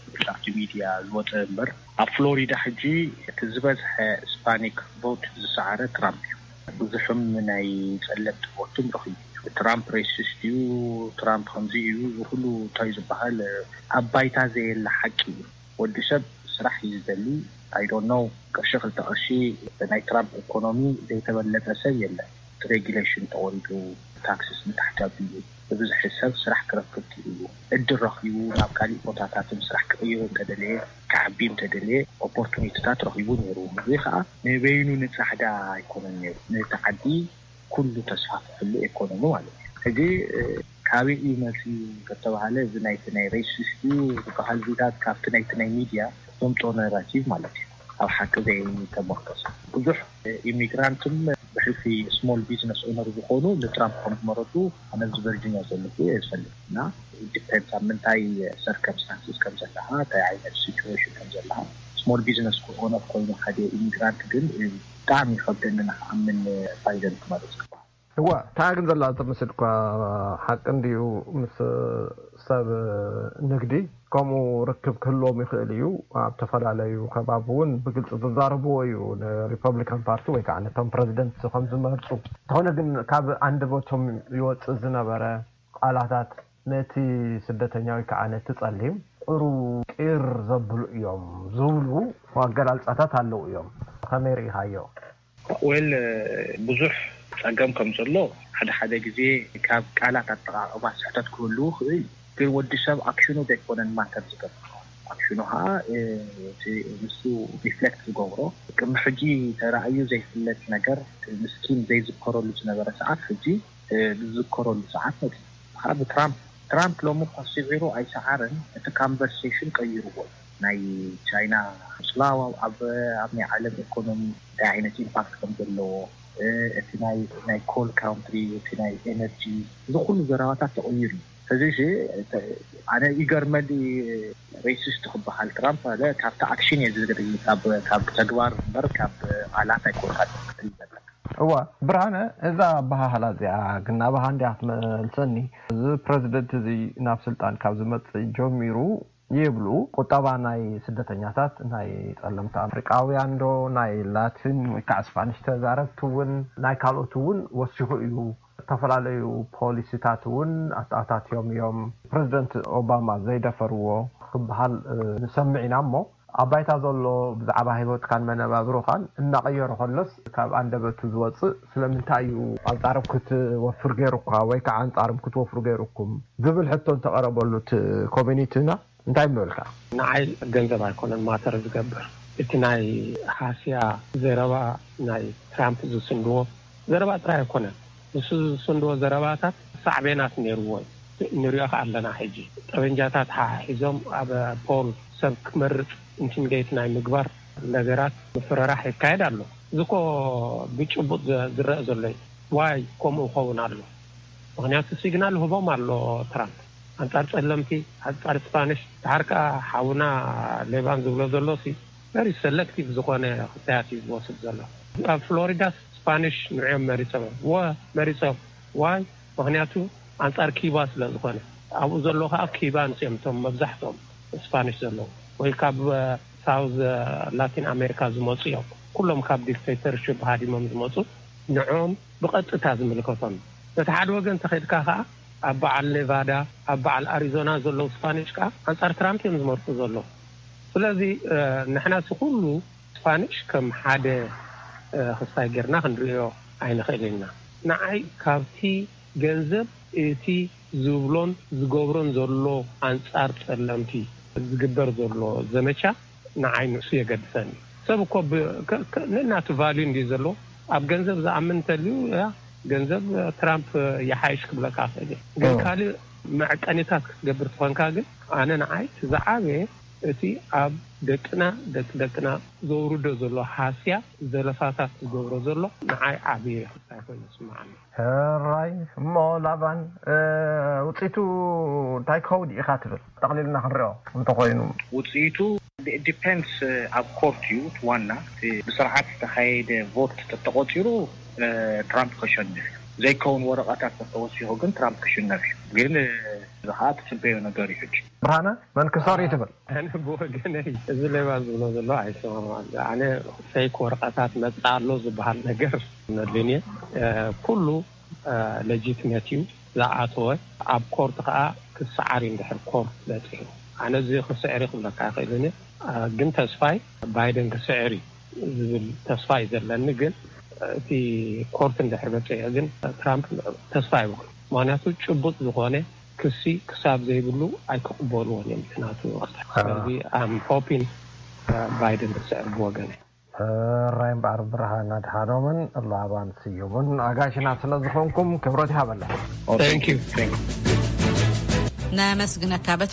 ሶሻል ሚድያ ዝወፀ እምበር፣ ኣብ ፍሎሪዳ ሕጂ እቲ ዝበዝሐ ስፓኒክ ቮት ዝሰዓረ ትራምፕ እዩ። ብዙሕም ናይ ጸለምቲ ቮትም ረኺቡ እዩ። ትራምፕ ሬሲስት እዩ፣ ትራምፕ ከምዚ እዩ፣ እዚ ኩሉ እንታይ ዝበሃል ኣብ ባይታ ዘየለ ሓቂ እዩ። ወዲ ሰብ ስራሕ እዩ ዝደሊ። I don't know፣ ቅርሺ ክልተ ቅርሺ ናይ ትራምፕ ኢኮኖሚ ዘይተበለጠ ሰብ የለን። ሬጉሌሽን ተወሪዱ፣ ታክስስ ንታሕቲ ኣቢሉ፣ ብብዝሒ ሰብ ስራሕ ክረክብ ክኢሉ፣ እድል ረኺቡ ናብ ካሊእ ቦታታትን ስራሕ ክቕይር እንተደለየ፣ ክዓቢ እንተደለየ፣ ኦፖርቱኒቲታት ረኺቡ ነይሩ። እዚ ከዓ ንበይኑ ንጻዕዳ ኣይኮነን ነይሩ፣ ነቲ ዓዲ ኩሉ ተስፋፍሕሉ ኢኮኖሚ ማለት እዩ። ሕጂ፣ እ፣ ካበይ እዩ መፅዩ ከተባሃለ፣ እዚ ናይቲ ናይ ሬሲስት እዩ ዝበሃል ዚታት ካብቲ ናይቲ ናይ ሚድያ ዘምፅኦ ናራቲቭ ማለት እዩ። ኣብ ሓቂ ዘይተመርኮሰ ብዙሕ ኢሚግራንትን ብሕልፊ ስሞል ቢዝነስ ኦነር ዝኾኑ ንትራምፕ ከም ዝመረፁ ኣነ ኣብዚ ቨርጂኒያ ዘለኹ እየ ዝፈልጥ። እና ዲፔንድስ ኣብ ምንታይ ሰርከምስታንስስ ከም ዘለኻ፣ እንታይ ዓይነት ሲቹዌሽን ከም ዘለኻ። ስሞል ቢዝነስ ኦነር ኮይኑ ሓደ ኢሚግራንት ግን ብጣዕሚ ይኸብደኒ ንክኣምን ባይደን ክመርፅ ክበሃል። እወ፣ እታ ግን ዘላ ትመስል እኳ ሓቂ እንድዩ። ምስ ሰብ ንግዲ ከምኡ ርክብ ክህልዎም ይኽእል እዩ። ኣብ ዝተፈላለዩ ከባቢ እውን ብግልፂ ዝዛረብዎ እዩ፣ ንሪፐብሊካን ፓርቲ ወይ ከዓ ነቶም ፕረዚደንት ከም ዝመርፁ። እንተኾነ ግን ካብ ኣንደበቶም ይወፅእ ዝነበረ ቃላታት ነቲ ስደተኛ ወይ ከዓ ነቲ ጸሊም ቁሩ ቂር ዘብሉ እዮም ዝብሉ ኣገላልጻታት ኣለዉ እዮም። ከመይ ርኢኻዮ? ዌል፣ ብዙሕ ጸገም ከም ዘሎ ሓደ ሓደ ግዜ ካብ ቃላት ኣጠቓቕማ ስሕተት ክህልዉ ይኽእል። ግን ወዲ ሰብ ኣክሽኑ ዘይኮነን ማተር ዝገብር። ኣክሽኑ ኸዓ፣ እ፣ እቲ ንሱ ሪፍሌክት ዝገብሮ፣ ቅድሚ ሕጂ ተራእዩ ዘይፍለጥ ነገር፣ ምስኪን ዘይዝከረሉ ዝነበረ ሰዓት ሕጂ፣ እ፣ ዝዝከረሉ ሰዓት መጺኡ። ኸዓ ብትራምፕ፣ ትራምፕ ሎሚ እኳ ስዒሩ ኣይሰዓረን፣ እቲ ካንቨርሴሽን ቀይርዎ እዩ። ናይ ቻይና ምስላው ኣብ፣ ኣብ ናይ ዓለም ኢኮኖሚ እንታይ ዓይነት ኢምፓክት ከም ዘለዎ፣ እ፣ እቲ ናይ፣ ናይ ኮል ካውንትሪ፣ እቲ ናይ ኤነርጂ፣ እዚ ኩሉ ዘረባታት ተቐይሩ እዩ። ሕዚ እሺ፣ እተ-፣ ኣነ ይገርመኒ፣ ሬሲስት ክበሃል ትራምፕ ኣለ ካብቲ ኣክሽን እየ ዝግርይ፣ ካብ፣ ካብ ተግባር እምበር ካብ ቃላት ኣይኮንካ ክትብል ዘለካ። እዋ፣ ብርሃነ፣ እዛ ኣበሃህላ እዚኣ ግን ናባኻ እንድያ ክትመልሰኒ። እዚ ፕረዚደንት እዚ ናብ ስልጣን ካብ ዝመጽእ ጀሚሩ ይብሉ፣ ቁጠባ ናይ ስደተኛታት፣ ናይ ጸለምቲ ኣፍሪቃውያን ዶ፣ ናይ ላቲን ወይ ከዓ ስፓኒሽ ተዛረብቲ እውን፣ ናይ ካልኦት እውን ወሲኹ እዩ። ዝተፈላለዩ ፖሊሲታት እውን ኣተኣታትዮም እዮም። ፕረዚደንት ኦባማ ዘይደፈርዎ ክበሃል፣ እ፣ ንሰምዕ ኢና እሞ፣ ኣብ ባይታ ዘሎ ብዛዕባ ህይወትካን መነባብሮኻን እናቐየሮ ከሎስ ካብ ኣንደበቱ ዝወጽእ ስለምንታይ እዩ ኣንጻሮም ክትወፍር ገይሩካ ወይ ከዓ ኣንጻሮም ክትወፍሩ ገይሩኩም ዝብል ሕቶ እንተቐረበሉ እቲ ኮሚኒቲና እንታይ ምበልካ? ንዓይ ገንዘብ ኣይኮነን ማተር ዝገብር። እቲ ናይ ሃስያ ዘረባ ናይ ትራምፕ ዝስንድዎ ዘረባ ጥራይ ኣይኮነን። ንሱ ዝስንድዎ ዘረባታት ሳዕቤናት ነይርዎ እዩ። ንሪኦ ከኣ ኣለና ሕጂ። ጠበንጃታት ሓሒዞም ኣብ ፖል ሰብ ክመርጽ ኢንቲሚዴት ናይ ምግባር ነገራት ምፍርራሕ ይካየድ ኣሎ። እዚ እኮ ብጭቡጥ ዘ-፣ ዝረአ ዘሎ እዩ። ዋይ ከምኡ ክኸውን ኣሎ? ምኽንያቱ ሲግናል ህቦም ኣሎ ትራምፕ። ኣንጻር ጸለምቲ፣ ኣንጻር ስፓኒሽ፣ ድሓር ከኣ ሓውና ሌባን ዝብሎ ዘሎ ሲ ቨሪ ሰለክቲቭ ዝኾነ ክስታያት እዩ ዝወስድ ዘሎ። ኣብ ፍሎሪዳስ ስፓኒሽ ንዕኦም መሪጾም እዮም። ወ-፣ መሪጾም። ዋይ? ምኽንያቱ ኣንጻር ኪባ ስለ ዝኾነ። ኣብኡ ዘሎ ከኣ ኪባንስ እዮም እቶም መብዛሕትኦም ስፓኒሽ ዘለዉ። ወይ ካብ፣ እ፣ ሳውዝ፣ እ፣ ላቲን ኣሜሪካ ዝመጹ እዮም። ኩሎም ካብ ዲክቴተርሽፕ ሃዲሞም ዝመጹ ንዕኦም ብቐጥታ ዝምልከቶም። በቲ ሓደ ወገን እንተኸድካ ከኣ ኣብ በዓል ኔቫዳ፣ ኣብ በዓል ኣሪዞና ዘለዉ ስፓኒሽ ከኣ ኣንጻር ትራምፕ እዮም ዝመርጹ ዘለዉ። ስለዚ፣ እ፣ ንሕና እዚ ኩሉ ስፓኒሽ ከም ሓደ፣ እ፣ ክስታይ ጌርና ክንርእዮ ኣይንኽእልን ኢና። ንዓይ ካብቲ ገንዘብ እቲ ዝብሎን ዝገብሮን ዘሎ ኣንጻር ጸለምቲ ዝግበር ዘሎ ዘመቻ ንዓይ ንሱ የገድሰኒ። ሰብ እኮ ብ-፣ ከ-፣ ከ-፣ ነናቱ ቫልዩ እንድዩ ዘለዎ። ኣብ ገንዘብ ዝኣምን እንተልዩ፣ ያ፣ ገንዘብ ትራምፕ ይሓይሽ ክብለካ እኽእል እየ። ግን ኦ። ካልእ መዐቀኒታት ክትገብር ትኾንካ ግን፣ ኣነ ንዓይ እቲ ዝዓበየ እቲ ኣብ ደቅና ደቂ ደቅና ዘውርዶ ዘሎ ሃስያ ዘለፋታት ዝገብሮ ዘሎ ንዓይ ዓብዪ ክስታይ ኮይኑ ይስምዓኒ። ሕራይ እሞ ላባን ውፅኢቱ እንታይ ክኸውን ኢኻ ትብል? ጠቕሊልና ክንሪኦ እንተኮይኑ ውፅኢቱ ዲፔንድስ ኣብ ኮርት እዩ ዋና። ብስርዓት ዝተካየደ ቮት ተተቆፂሩ ትራምፕ ከሸንፍ እዩ። ዘይከውን ወረቐታት ተተወሲኹ ግን ትራምፕ ክሽነፍ እዩ። ግን እዚ ከዓ ትፅበዮ ነገር እዩ። ሕጂ ብርሃነ መንክሳር እዩ ትብል። ኣነ ብወገነይ እዚ ሌባ ዝብሎ ዘሎ ኣይሰማማዕን። ኣነ ፌክ ወረቐታት መፅእ ኣሎ ዝበሃል ነገር ነድልንየ ኩሉ ለጂትመት እዩ ዝኣተወ። ኣብ ኮርት ከዓ ክሰዓር እዩ እንድሕር ኮርት በፂሑ። ኣነ እዚ ክስዕር ክብለካ ይኽእልን፣ ግን ተስፋይ ባይደን ክስዕር እዩ ዝብል ተስፋ እዩ ዘለኒ። ግን እቲ ኮርት እንድሕር በፂሑ ግን ትራምፕ ተስፋ ይብሉ። ምክንያቱ ጭቡጥ ዝኾነ ክሲ ክሳብ ዘይብሉ ኣይክቕበልዎን እዮም። ናቱ ስለዚ ኣም ሆፒን ባይደን ክስዕር ብወገነ። ሕራይ እምበኣር ብርሃን ኣድሓኖምን ላባን ስዩምን ኣጋይሽና ስለ ዝኾንኩም ክብረት ይሃበልና። Thank you። ነመስግነካ በትሮ።